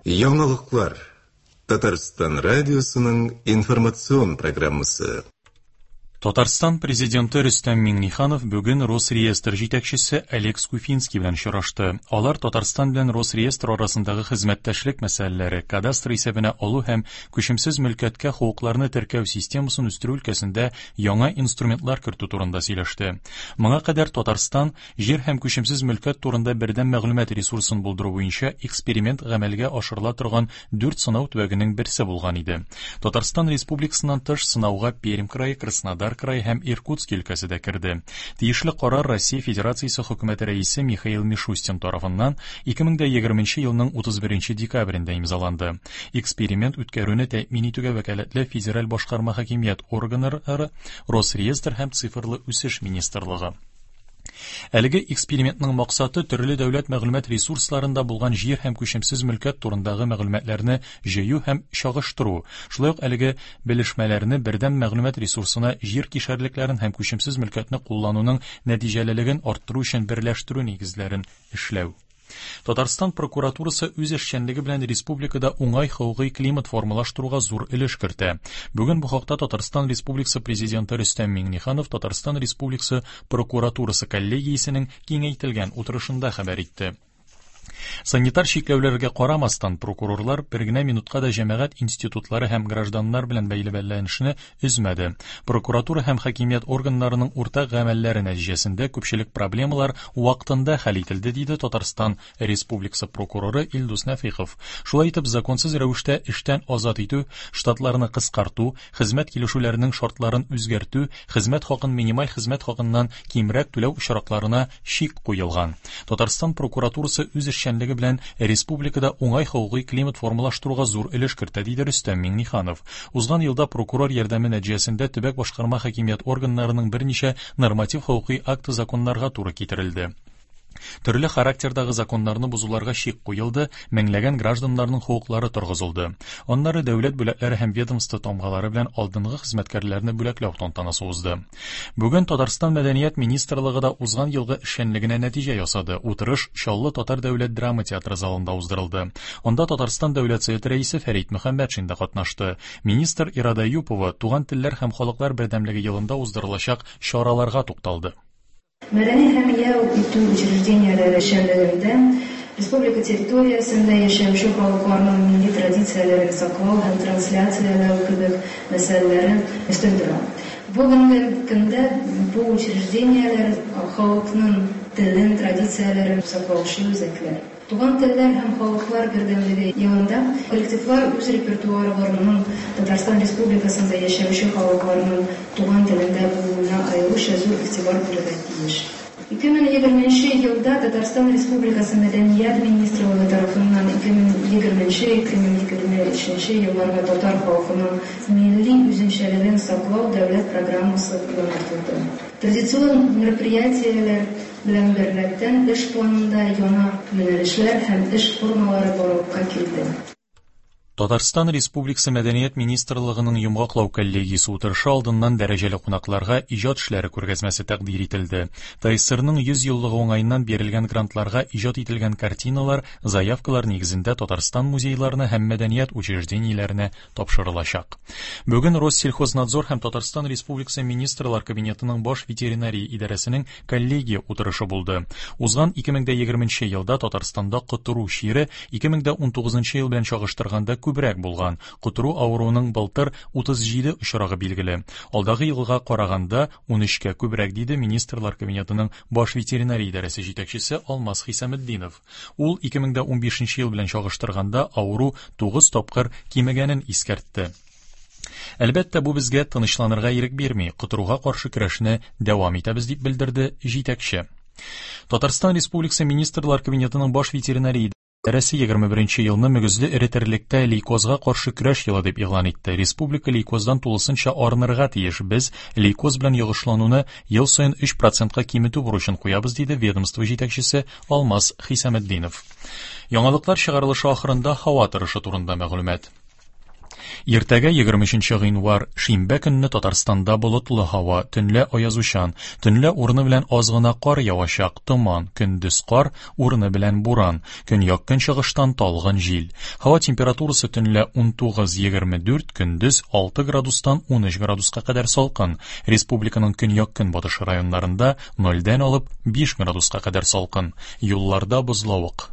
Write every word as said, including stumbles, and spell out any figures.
Яңалыклар. Татарстан радиосының информацион программасы. Татарстан президенты Рөстәм Миңнеханов бүген Росреестр җитәкчесе Олег Скуфинский белән очрашты. Алар Татарстан белән Росреестр арасындагы хезмәттәшлек мәсьәләләре, кадастр исәбенә алу һәм күчемсез мөлкәткә хокукларны теркәү системасын үстерү өлкәсендә яңа инструментлар кертү турында сөйләште. Моңа кадәр Татарстан җир һәм күчемсез мөлкәт турында бердәм мәгълүмат ресурсын булдыру буенча эксперимент гамәлгә ашырыла торган дүрт сынау төбәгенең берсе булган иде. Татарстан Республикасыннан тыш сынауга Пермь крае, Краснодар крае һәм Иркутск өлкәсе дә керде. Тиешле карар Россия Федерациясе хөкүмәте рәисе Михаил Мишустин тарафыннан ике мең егерменче елның утыз беренче декабрендә имзаланды. Эксперимент үткәрүне тәэмин итүгә вәкаләтле федераль башкарма хакимият органнары, Росреестр һәм Цифрлы үсеш министрлыгы. Әлеге экспериментның максаты төрле дәүләт мәгълүмат ресурсларында булган җир һәм күчемсез мөлкәт турындагы мәгълүматларны җыю һәм чагыштыру, шулай ук әлеге белешмәләрне бердәм мәгълүмат ресурсына җир кишәрлекләрен һәм күчемсез мөлкәтне куллануның нәтиҗәлелеген арттыру өчен берләштерү нигезләрен эшләү. Татарстан прокуратурасы үз эшчәнлеге белән республикада уңай хокукый климат формалаштыруга зур өлеш кертә. Бүген бу хакта Татарстан Республикасы президенты Рөстәм Миңнеханов Татарстан Республикасы прокуратурасы коллегиясенең киңәйтелгән утырышында хәбәр итте. Санитар чикләүләргә карамастан, прокурорлар бер генә минутка да җәмәгать институтлары һәм гражданнар белән бәйле бәйләнешне өзмәде. Прокуратура һәм хакимият органнарының уртак гамәлләре нәтиҗәсендә күпчелек проблемалар вакытында хәл ителде, диде Татарстан Республикасы прокуроры Илдус Нәфыйков. Шулай итеп, законсыз рәвештә эштән азат итү, штатларны кыскарту, хезмәт килешүләренең шартларын үзгәртү, хезмәт хакын минималь хезмәт хакыннан кимрәк түләү очракларына чик куелган. Татарстан прокуратурасы үз эшчәнлеге белән республикада уңай хокукый климат формалаштыруга зур өлеш кертә, диде Рөстәм Миңнеханов. Узган елда прокурор ярдәме нәтиҗәсендә төбәк башкарма хакимият органнарының берничә норматив хокукый акты законнарга туры китерелде. Төрле характердагы законнарны бозуларга чик куелды, меңләгән гражданнарның хокуклары торгызылды. Аннары дәүләт бүләкләре һәм ведомство тамгалары белән алдынгы хезмәткәрләрне бүләкләү тантанасы узды. Бүген Татарстан Мәдәният министрлыгы да узган елгы эшчәнлегенә нәтиҗә ясады. Утырыш Чаллы Татар дәүләт драма театры залында уздырылды. Анда Татарстан Дәүләт Советы рәисе Фәрит Мөхәммәтшин дә катнашты. Министр Ирада Юпова туган телләр һәм халыклар бердәмлеге елында уздырылачак чараларга тукталды. Мәдәни һәм ял итү учреждениеләре эшчәнлегендә республика территориясендә яшәүче халыкларның милли традицияләрен саклау һәм трансляцияләү кебек мәсьәләләре өстен тора. Бүгенге көндә бу учреждениеләр халыкның телен, традицияләрен саклаучы үзәкләр. Туган телләр һәм халыклар бердәмлеге елында коллективлар үз репертуарларының Татарстан Республикасында яшәүче халыкларның туган телендә булуына аеруча зур игътибар бирергә тиеш. Ике мең егерменче елда Татарстан Республикасы Мәдәният министрлыгы тарафыннан ике мең егерменче ике мең егерме өченче елларга татар халкының милли үзенчәлеген саклау дәүләт программасы яңартылды. Традицион мероприятиеләр белән беррәттән эш планында яңа юнәлешләр һәм эш формалары барлыкка килде. Татарстан Республикасы Мәдәният министрлыгының йомгаклау коллегиясе утырышы алдыннан дәрәҗәле кунакларга иҗат эшләре күргәзмәсе тәкъдир ителде. ТАССРның йөз еллыгы уңаеннан бирелгән грантларга иҗат ителгән картиналар заявкалар нигезендә Татарстан музейларына һәм мәдәният учреждениеләренә тапшырылачак. Бүген Россельхознадзор һәм Татарстан Республикасы Министрлар Кабинетының баш ветеринария идарәсенең коллегия утырышы булды. Узган ике мең егерменче елда Татарстанда котыру чире ике мең унтугызынчы ел белән чагыштырганда күбрәк булган. Котыру авыруының былтыр утыз җиде очрагы билгеле. Алдагы елга караганда ун өчкә күбрәк, диде Министрлар Кабинетының баш ветеринария идарәсе җитәкчесе Алмаз Хисаметдинов. Ул ике мең унбишенче ел белән чагыштырганда авыру тугыз тапкыр кимегәнен искәртте. Әлбәттә, бу безгә тынычланырга ирек бирми, котыруга каршы көрәшне дәвам итәбез, дип белдерде җитәкче. Татарстан Республикасы Министрлар Кабинетының баш ветеринария идарәсе егерме беренче елны мөгезле эре терлектә лейкозга каршы көрәш елы дип игълан итте. Республика лейкоздан тулысынча арынырга тиеш. Без лейкоз белән йогышлануны ел саен өч процентка киметү бурычын куябыз, диде ведомство җитәкчесе Алмаз Хисаметдинов. Яңалыклар чыгарылышы ахырында һава торышы турында мәгълүмат. Иртәгә егерме өченче гыйнвар, шимбә көнне Татарстанда болытлы һава, төнлә аязучан, төнлә урыны белән аз гына кар явачак, томан, көндез кар, урыны белән буран, көньяк-көнчыгыштан талгын җил. Һава температурасы төнлә унтугыз-егерме дүрт, көндез алты градустан унөч градуска кадәр салкын. Республиканың көньяк-көнбатыш районнарында нольдән алып биш градуска кадәр салкын. Юлларда бозлавык.